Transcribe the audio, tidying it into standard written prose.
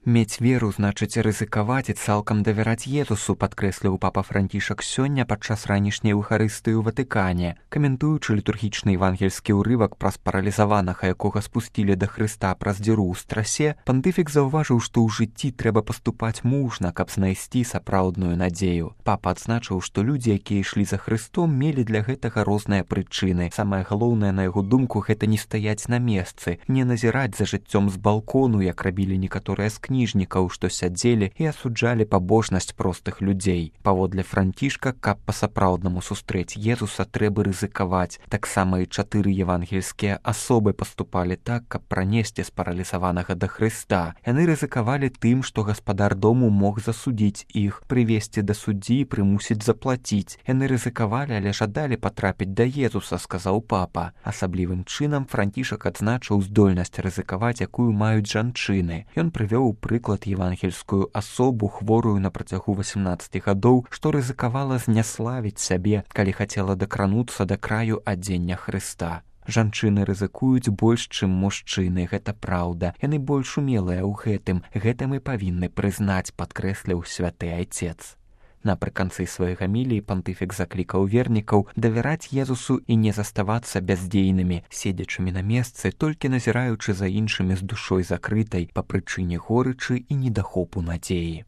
Мець веру значыць рызыкаваць і цалкам давяраць Езусу, падкрэсліў папа Францішак сёння падчас ранішняй эўхарыстыі ў Ватыкане. Каментуючы літургічны евангельскі ўрывак пра спаралізаванага, якога спусцілі да Хрыста праз дзіру ў страсе, пантыфік заўважыў, што ў жыцці трэба паступаць мужна, каб знайсці сапраўдную надзею. Папа адзначыў, што людзі, якія ішлі за Хрыстом, мелі для гэтага розныя прычыны. Самае галоўнае, на яго думку, гэта не стаяць на месцы, не назіраць за жыццём з балкону, як рабілі некаторыя з кніжнікаў, што сядзелі і асуджалі пабожнасць простых людзей. Паводле Францішка, каб па-сапраўднаму сустрэць Езуса, трэба рызыкаваць. Таксама і 4 евангельскія асобы паступалі так, каб пранесці спаралізаванага да Хрыста. Яны рызыкавалі тым, што гаспадар дому мог засудзіць іх, прывесці да суддзі і прымусіць заплаціць. Яны рызыкавалі, але жадалі патрапіць да Езуса, сказаў папа. Асаблівым чынам Францішак адзначыў здольнасць рызыкаваць, якую маюць жанчыны. Ён прывёў прыклад евангельскую асобу, хворую на працягу 18 гадоў, што рызыкавала зняславіць сябе, калі хацела дакрануцца да краю адзення Хрыста. Жанчыны рызыкуюць больш, чым мужчыны, гэта праўда. Яны больш умелыя ў гэтым. Гэта мы павінны прызнаць, падкрэсліў святы айцец. Напрыканцы сваёй гаміліі пантыфік заклікаў вернікаў давяраць Езусу і не заставацца бяздзейнымі, седзячымі на месцы, толькі назіраючы за іншымі з душой закрытай па прычыне горычы і недахопу надзеі.